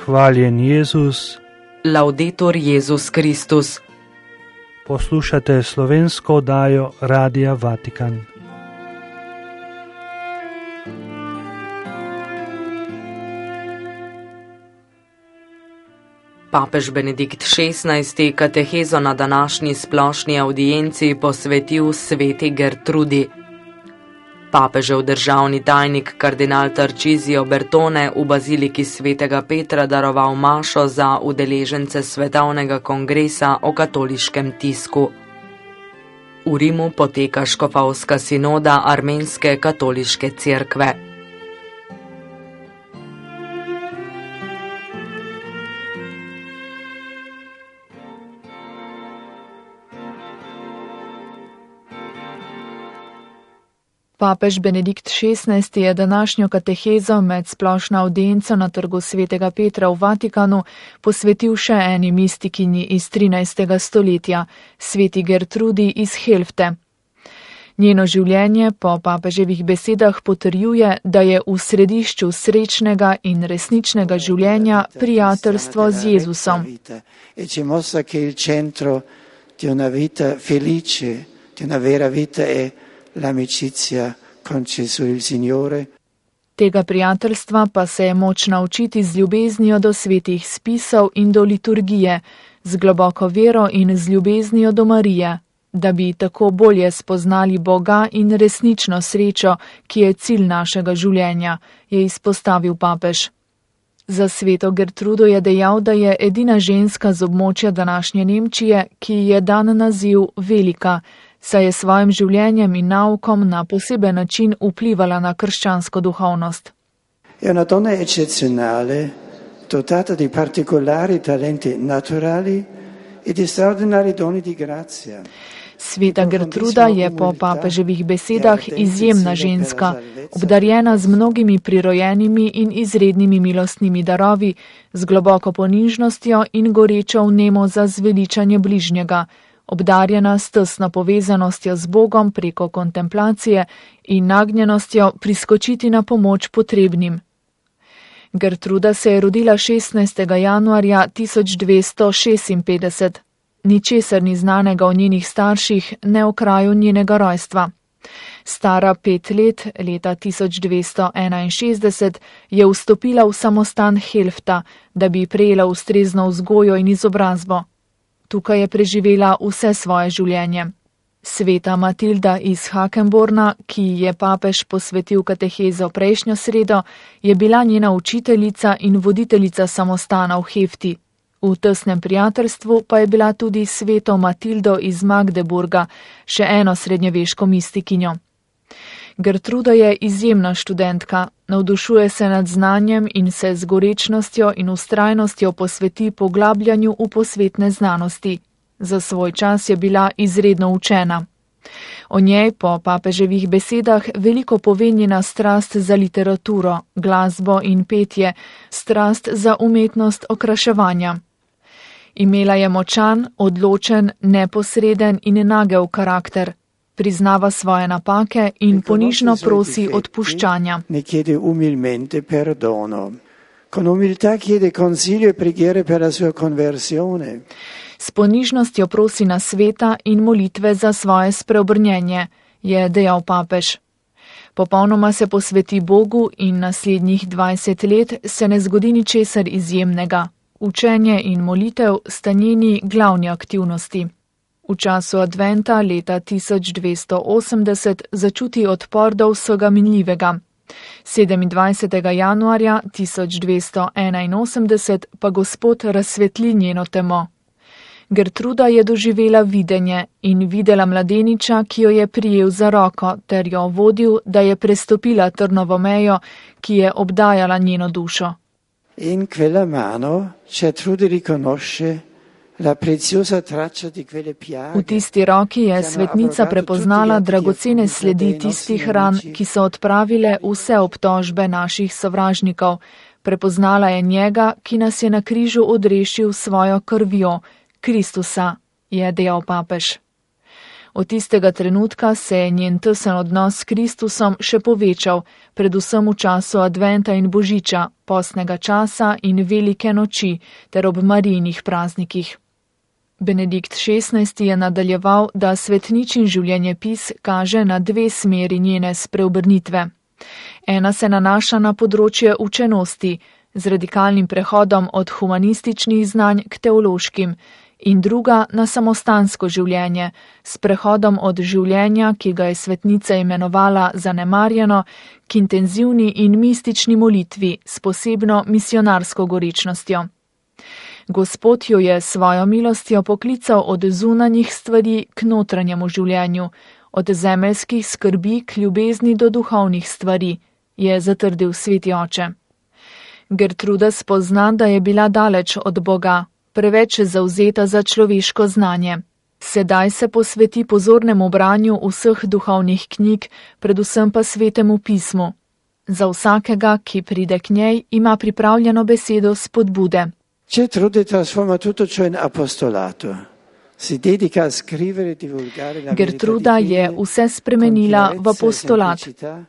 Hvaljen Jezus. Laudetur Jezus Kristus. Poslušate slovensko oddajo Radia Vatikan. Papež Benedikt XVI. Katehezo na današnji splošni audienci posvetil sveti Gertrudi. Papežev državni tajnik kardinal Tarcisio Bertone v baziliki svetega Petra daroval mašo za udeležence svetovnega kongresa o katoliškem tisku. V Rimu poteka škofovska sinoda armenske katoliške cerkve. Papež Benedikt XVI. Je današnjo katehezo med splošno audienco na trgu svetega Petra v Vatikanu posvetil še eni mistikinji iz 13. stoletja, sveti Gertrudi iz Helfte. Njeno življenje po papeževih besedah potrjuje, da je v središču srečnega in resničnega življenja prijateljstvo z Jezusom. L'amicizia con Gesù il Signore. Tega prijateljstva pa se je moč naučiti z ljubeznijo do svetih spisov in do liturgije, z globoko vero in z ljubeznijo do Marije, da bi tako bolje spoznali Boga in resnično srečo, ki je cilj našega življenja, je izpostavil papež. Za sveto Gertrudo je dejal, da je edina ženska z območja današnje Nemčije, ki je dan naziv velika, saj je svojim življenjem in naukom na poseben način vplivala na krščansko duhovnost. Je una donna eccezionale, dotata di particolari talenti naturali e di straordinari doni di grazia. Sveta Gertruda je po papeževih besedah izjemna ženska, obdarjena z mnogimi prirojenimi in izrednimi milostnimi darovi, z globoko ponižnostjo in gorečo vnemo za zveličanje bližnjega, obdarjena s tesno povezanostjo z Bogom preko kontemplacije in nagnjenostjo priskočiti na pomoč potrebnim. Gertruda se je rodila 16. januarja 1256. Ničesar ni znanega o njenih starših, ne o kraju njenega rojstva. Stara 5 let, leta 1261, je vstopila v samostan Helfta, da bi prejela ustrezno vzgojo in izobrazbo. Tukaj je preživela vse svoje življenje. Sveta Matilda iz Hakenborna, ki je papež posvetil katehezo prejšnjo sredo, je bila njena učiteljica in voditeljica samostana v Hefti. V tesnem prijateljstvu pa je bila tudi sveto Matildo iz Magdeburga, še eno srednjeveško mistikinjo. Gertruda je izjemna študentka, navdušuje se nad znanjem in se z gorečnostjo in vztrajnostjo posveti poglabljanju v posvetne znanosti. Za svoj čas je bila izredno učena. O njej po papeževih besedah veliko pove njena strast za literaturo, glasbo in petje, strast za umetnost okraševanja. Imela je močan, odločen, neposreden in nagel karakter. Priznava svoje napake in ponižno prosi odpuščanja. Ne chiede umilmente perdono. Con umiltà chiede consiglio e preghiere per la sua conversione. S ponižnostjo prosi nasveta in molitve za svoje spreobrnjenje, je dejal papež. Popolnoma se posveti Bogu in naslednjih 20 let se ne zgodi ničesar izjemnega. Učenje in molitev sta njeni glavni aktivnosti. V času adventa leta 1280 začuti odpor do vsega minljivega. 27. januarja 1281 pa Gospod razsvetli njeno temo. Gertruda je doživela videnje in videla mladeniča, ki jo je prijel za roko, ter jo vodil, da je prestopila trnovo mejo, ki je obdajala njeno dušo. In quella mano Gertrude riconosce la preziosa traccia di quelle piaghe. V tisti roki je svetnica prepoznala dragocene sledi tistih ran, ki so odpravile vse obtožbe naših sovražnikov. Prepoznala je njega, ki nas je na križu odrešil svojo krvjo, Kristusa, je dejal papež. Od tistega trenutka se je njen tesen odnos s Kristusom še povečal, predvsem v času adventa in božiča, postnega časa in velike noči ter ob Marijinih praznikih. Benedikt XVI. Je nadaljeval, da svetničin življenjepis kaže na dve smeri njene spreobrnitve. Ena se nanaša na področje učenosti, z radikalnim prehodom od humanističnih znanj k teološkim, in druga na samostansko življenje, s prehodom od življenja, ki ga je svetnica imenovala zanemarjeno, k intenzivni in mistični molitvi s posebno misionarsko gorečnostjo. Gospod jo je svojo milostjo poklical od zunanjih stvari k notranjemu življenju, od zemeljskih skrbi k ljubezni do duhovnih stvari, je zatrdil sveti oče. Gertruda spozna, da je bila daleč od Boga, preveč zavzeta za človeško znanje. Sedaj se posveti pozornemu branju vseh duhovnih knjig, predvsem pa svetemu pismu. Za vsakega, ki pride k njej, ima pripravljeno besedo spodbude. Gertrude trasforma tutto ciò in apostolato. Si dedica a scrivere e divulgare la Gertruda je vse spremenila v apostolat.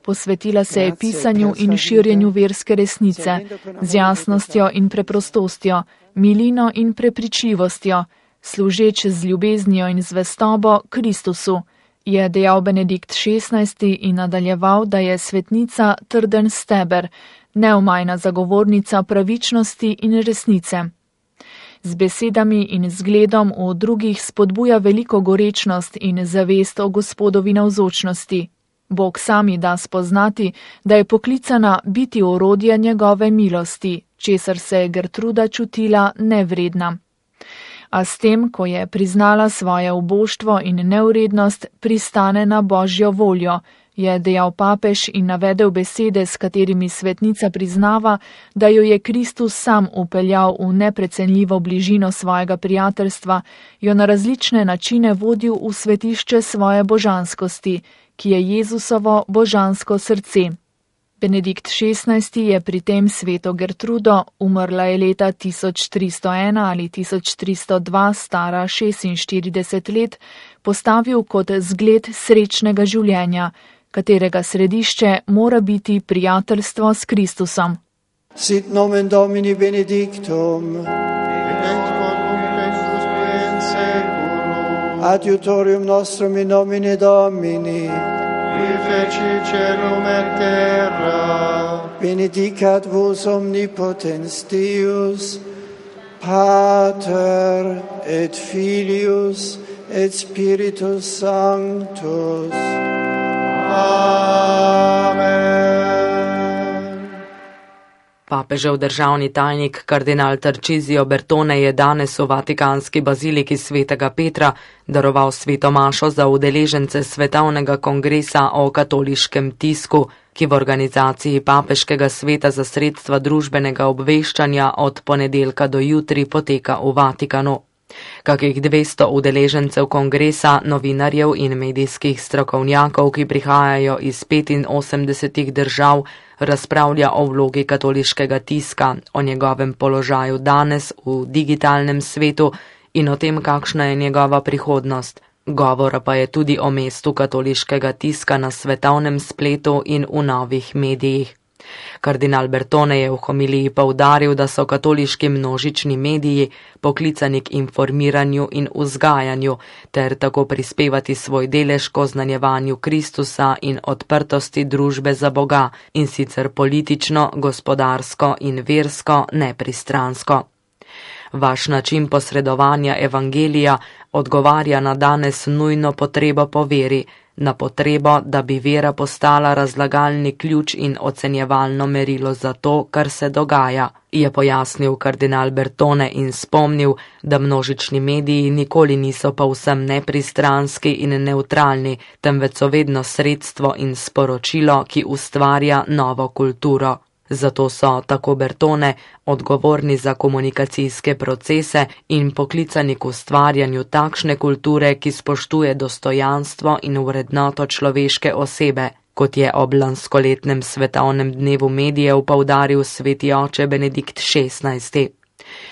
Posvetila se je pisanju in širjenju verske resnice, z jasnostjo in preprostostjo, milino in prepričljivostjo, služeč z ljubeznijo in zvestobo Kristusu, je dejal Benedikt XVI. In nadaljeval, da je svetnica trden steber, neomajna zagovornica pravičnosti in resnice. Z besedami in zgledom v drugih spodbuja veliko gorečnost in zavest o Gospodovi navzočnosti. Bog sami da spoznati, da je poklicana biti orodje njegove milosti, česar se je Gertruda čutila nevredna. A s tem, ko je priznala svoje uboštvo in neurednost, pristane na Božjo voljo, je dejal papež in navedel besede, s katerimi svetnica priznava, da jo je Kristus sam upeljal v neprecenljivo bližino svojega prijateljstva, jo na različne načine vodil v svetišče svoje božanskosti, ki je Jezusovo božansko srce. Benedikt XVI. Je pri tem sveto Gertrudo, umrla je leta 1301 ali 1302, stara 46 let, postavil kot zgled srečnega življenja, katerega središče mora biti prijateljstvo s Kristusom. Sit nomen Domini benedictum. Adiutorium nostrum in nomine Domini. Qui feci celum et terra. Benedicat vos omnipotens Deus, Pater et Filius et Spiritus Sanctus. Amen. Papežev državni tajnik kardinal Tarcisio Bertone je danes v Vatikanski baziliki svetega Petra daroval sveto mašo za udeležence svetovnega kongresa o katoliškem tisku, ki v organizaciji Papeškega sveta za sredstva družbenega obveščanja od ponedeljka do jutri poteka v Vatikanu. Kakih 200 udeležencev kongresa, novinarjev in medijskih strokovnjakov, ki prihajajo iz 85 držav, razpravlja o vlogi katoliškega tiska, o njegovem položaju danes v digitalnem svetu in o tem, kakšna je njegova prihodnost. Govora pa je tudi o mestu katoliškega tiska na svetovnem spletu in v novih medijih. Kardinal Bertone je v homiliji poudaril, da so katoliški množični mediji poklicani k informiranju in vzgajanju, ter tako prispevati svoj delež k oznanjevanju Kristusa in odprtosti družbe za Boga, in sicer politično, gospodarsko in versko nepristransko. Vaš način posredovanja evangelija odgovarja na danes nujno potrebo po veri, na potrebo, da bi vera postala razlagalni ključ in ocenjevalno merilo za to, kar se dogaja, je pojasnil kardinal Bertone in spomnil, da množični mediji nikoli niso povsem nepristranski in neutralni, temveč so vedno sredstvo in sporočilo, ki ustvarja novo kulturo. Zato so, tako Bertone, odgovorni za komunikacijske procese in poklicani k ustvarjanju takšne kulture, ki spoštuje dostojanstvo in vrednoto človeške osebe, kot je ob lanskoletnem svetovnem dnevu medijev poudaril sveti oče Benedikt XVI.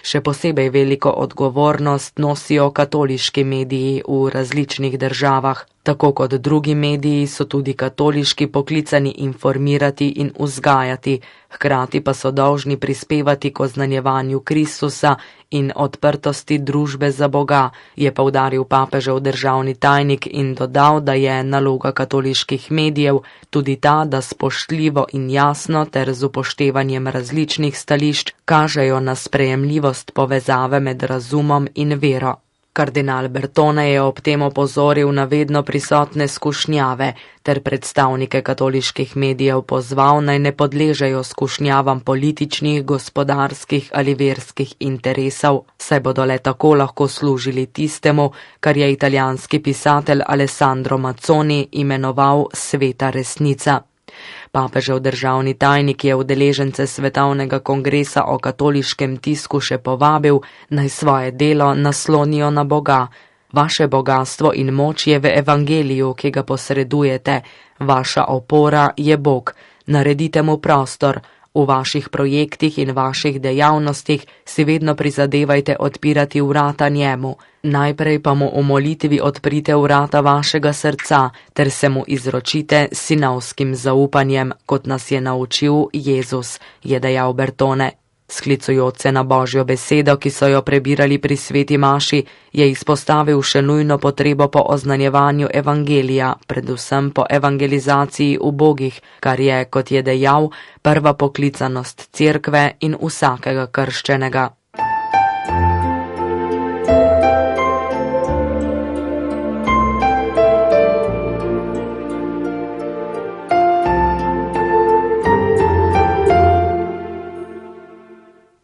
Še posebej veliko odgovornost nosijo katoliški mediji v različnih državah. Tako kot drugi mediji so tudi katoliški poklicani informirati in vzgajati, hkrati pa so dolžni prispevati k oznanjevanju Kristusa in odprtosti družbe za Boga, je poudaril papežev državni tajnik in dodal, da je naloga katoliških medijev tudi ta, da spoštljivo in jasno ter z upoštevanjem različnih stališč kažejo na sprejemljivost povezave med razumom in vero. Kardinal Bertone je ob tem opozoril na vedno prisotne skušnjave ter predstavnike katoliških medijev pozval, naj ne podležejo skušnjavam političnih, gospodarskih ali verskih interesov, saj bodo le tako lahko služili tistemu, kar je italijanski pisatelj Alessandro Mazzoni imenoval sveta resnica. Papežev državni tajnik je udeležence svetovnega kongresa o katoliškem tisku še povabil, naj svoje delo naslonijo na Boga. Vaše bogatstvo in moč je v evangeliju, ki ga posredujete. Vaša opora je Bog. Naredite mu prostor. V vaših projektih in vaših dejavnostih si vedno prizadevajte odpirati vrata njemu. Najprej pa mu v molitvi odprite vrata vašega srca, ter se mu izročite sinovskim zaupanjem, kot nas je naučil Jezus, je dejal Bertone. Sklicujoč se na Božjo besedo, ki so jo prebirali pri sveti maši, je izpostavil še nujno potrebo po oznanjevanju evangelija, predvsem po evangelizaciji ubogih, kar je, kot je dejal, prva poklicanost cerkve in vsakega krščenega.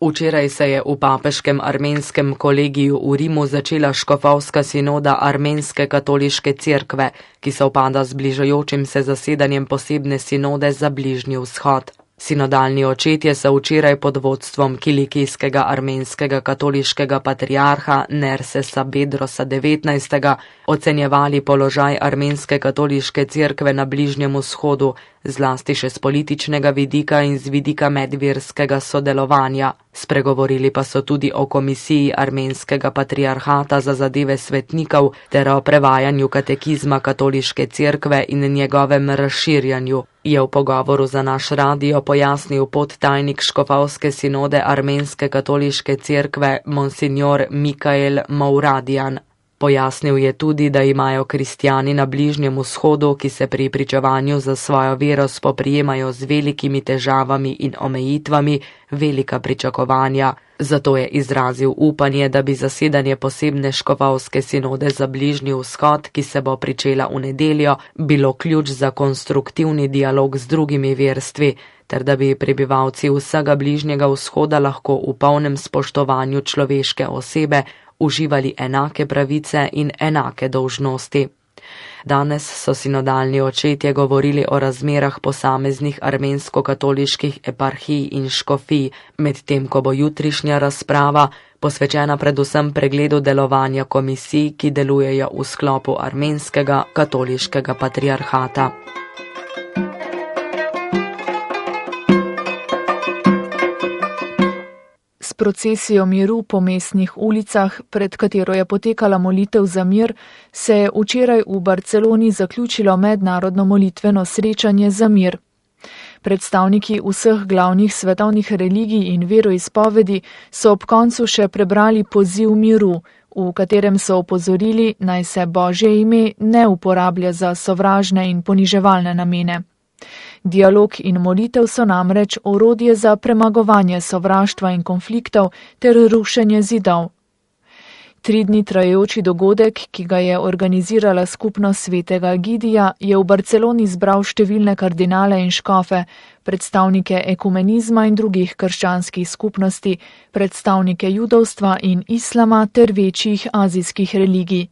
Včeraj se je v papeškem armenskem kolegiju v Rimu začela škofovska sinoda armenske katoliške cerkve, ki sovpada z bližajočim se zasedanjem posebne sinode za Bližnji vzhod. Sinodalni očetje so včeraj pod vodstvom kilikijskega armenskega katoliškega patriarha Nersesa Bedrosa 19. ocenjevali položaj armenske katoliške cerkve na Bližnjem vzhodu, zlasti še z političnega vidika in z vidika medverskega sodelovanja. Spregovorili pa so tudi o komisiji armenskega patriarhata za zadeve svetnikov ter o prevajanju katekizma katoliške cerkve in njegovem razširjanju, je v pogovoru za naš radio pojasnil podtajnik škofovske sinode armenske katoliške cerkve monsignor Mikael Mouradian. Pojasnil je tudi, da imajo kristjani na Bližnjem vzhodu, ki se pri pričevanju za svojo vero spoprijemajo z velikimi težavami in omejitvami, velika pričakovanja. Zato je izrazil upanje, da bi zasedanje posebne škofovske sinode za Bližnji vzhod, ki se bo pričela v nedeljo, bilo ključ za konstruktivni dialog z drugimi verstvi, ter da bi prebivalci vsega Bližnjega vzhoda lahko v polnem spoštovanju človeške osebe uživali enake pravice in enake dolžnosti. Danes so sinodalni očetje govorili o razmerah posameznih armensko-katoliških eparhij in škofij, medtem ko bo jutrišnja razprava posvečena predvsem pregledu delovanja komisij, ki delujejo v sklopu armenskega katoliškega patriarhata. S procesijo miru po mestnih ulicah, pred katero je potekala molitev za mir, se je včeraj v Barceloni zaključilo mednarodno molitveno srečanje za mir. Predstavniki vseh glavnih svetovnih religij in veroizpovedi so ob koncu še prebrali poziv miru, v katerem so opozorili, naj se Božje ime ne uporablja za sovražne in poniževalne namene. Dialog in molitev so namreč orodje za premagovanje sovraštva in konfliktov ter rušenje zidov. 3 dni trajajoči dogodek, ki ga je organizirala skupnost svetega Egidija, je v Barceloni zbral številne kardinale in škofe, predstavnike ekumenizma in drugih krščanskih skupnosti, predstavnike judovstva in islama ter večjih azijskih religij.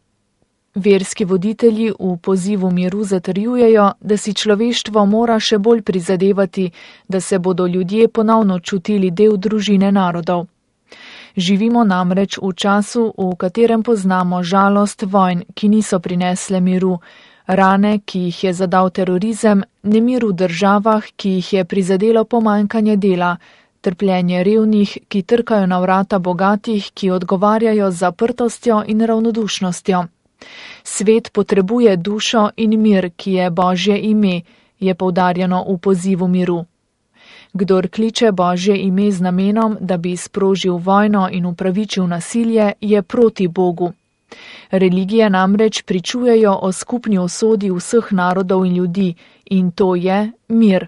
Verski voditelji v pozivu miru zatrjujejo, da si človeštvo mora še bolj prizadevati, da se bodo ljudje ponovno čutili del družine narodov. Živimo namreč v času, v katerem poznamo žalost vojn, ki niso prinesle miru, rane, ki jih je zadal terorizem, nemir v državah, ki jih je prizadelo pomanjkanje dela, trpljenje revnih, ki trkajo na vrata bogatih, ki odgovarjajo z zaprtostjo in ravnodušnostjo. Svet potrebuje dušo in mir, ki je Božje ime, je poudarjeno v pozivu miru. Kdor kliče Božje ime z namenom, da bi sprožil vojno in upravičil nasilje, je proti Bogu. Religije namreč pričujejo o skupni usodi vseh narodov in ljudi, in to je mir.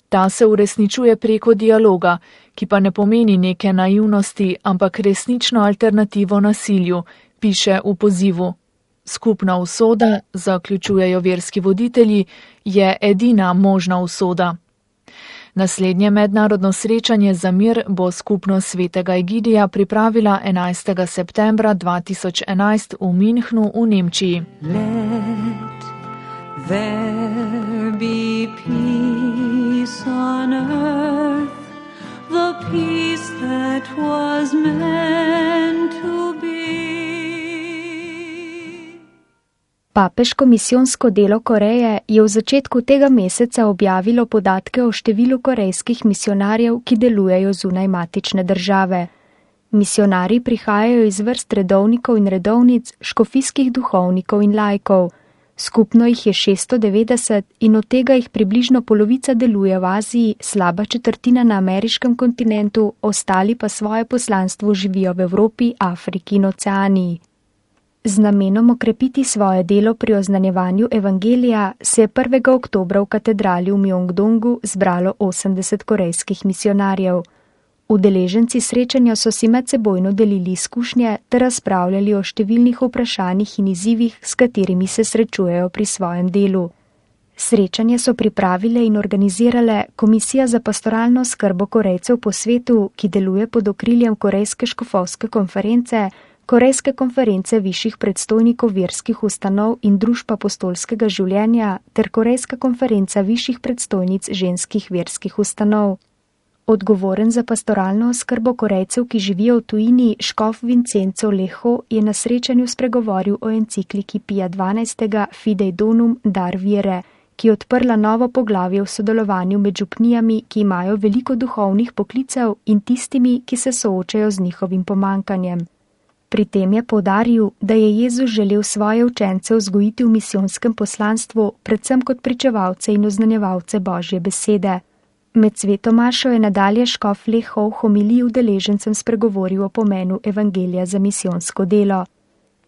Ta se uresničuje preko dialoga, ki pa ne pomeni neke naivnosti, ampak resnično alternativo nasilju, piše v pozivu. Skupna usoda, zaključujejo verski voditelji, je edina možna usoda. Naslednje mednarodno srečanje za mir bo skupnost svetega Egidija pripravila 11. septembra 2011 v Münchnu v Nemčiji. Let there be peace on earth, the peace that was meant to be. Papeško misijonsko delo Koreje je v začetku tega meseca objavilo podatke o številu korejskih misionarjev, ki delujejo zunaj matične države. Misionarji prihajajo iz vrst redovnikov in redovnic, škofijskih duhovnikov in laikov. Skupno jih je 690 in od tega jih približno polovica deluje v Aziji, slaba četrtina na ameriškem kontinentu, ostali pa svoje poslanstvo živijo v Evropi, Afriki in Oceaniji. Z namenom okrepiti svoje delo pri oznanjevanju evangelija se je 1. oktobra v katedrali v Mjongdongu zbralo 80 korejskih misionarjev. Udeleženci srečanja so si medsebojno delili izkušnje ter razpravljali o številnih vprašanjih in izzivih, s katerimi se srečujejo pri svojem delu. Srečanje so pripravile in organizirale Komisija za pastoralno skrbo Korejcev po svetu, ki deluje pod okriljem Korejske škofovske konference, Korejske konference višjih predstojnikov verskih ustanov in družb apostolskega življenja ter Korejska konferenca višjih predstojnic ženskih verskih ustanov. Odgovoren za pastoralno oskrbo Korejcev, ki živijo v tujini, škof Vincenzo Leho je na srečanju spregovoril o encikliki Pija XII. Fidei Donum Dar Vere, ki je odprla novo poglavje v sodelovanju med župnijami, ki imajo veliko duhovnih poklicev in tistimi, ki se soočajo z njihovim pomankanjem. Pri tem je poudaril, da je Jezus želel svoje učence vzgojiti v misijonskem poslanstvu, predvsem kot pričevalce in oznanjevalce Božje besede. Med svetomašo je nadalje škof Leho v homiliji udeležencem spregovoril o pomenu evangelija za misijonsko delo.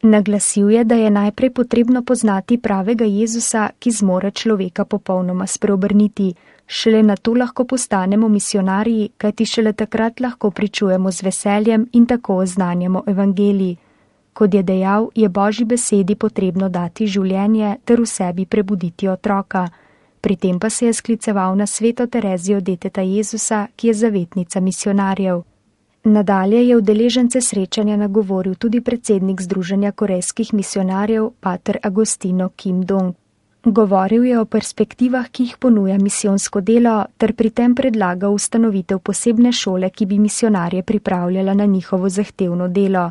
Naglasil je, da je najprej potrebno poznati pravega Jezusa, ki zmore človeka popolnoma spreobrniti. Šele nato lahko postanemo misionarji, kajti šele takrat lahko pričujemo z veseljem in tako oznanjamo evangelij. Kot je dejal, je Božji besedi potrebno dati življenje ter v sebi prebuditi otroka. Pri tem pa se je skliceval na sveto Terezijo deteta Jezusa, ki je zavetnica misionarjev. Nadalje je udeležence srečanja nagovoril tudi predsednik Združenja korejskih misionarjev, pater Agostino Kim Dong. Govoril je o perspektivah, ki jih ponuja misijonsko delo, ter pri tem predlagal ustanovitev posebne šole, ki bi misionarje pripravljala na njihovo zahtevno delo.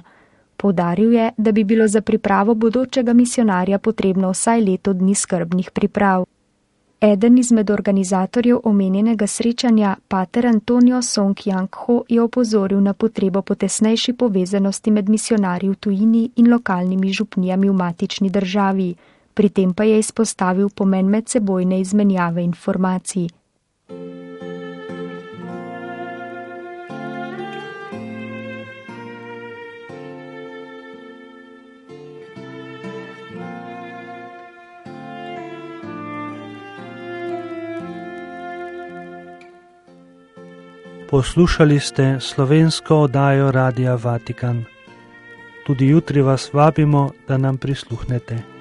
Poudaril je, da bi bilo za pripravo bodočega misionarja potrebno vsaj leto dni skrbnih priprav. Eden izmed organizatorjev omenjenega srečanja, pater Antonio Song Yang-ho, je opozoril na potrebo po tesnejši povezanosti med misionarji v tujini in lokalnimi župnijami v matični državi. Pri tem pa je izpostavil pomen medsebojne izmenjave informacij. Poslušali ste slovensko oddajo Radia Vatikan. Tudi jutri vas vabimo, da nam prisluhnete.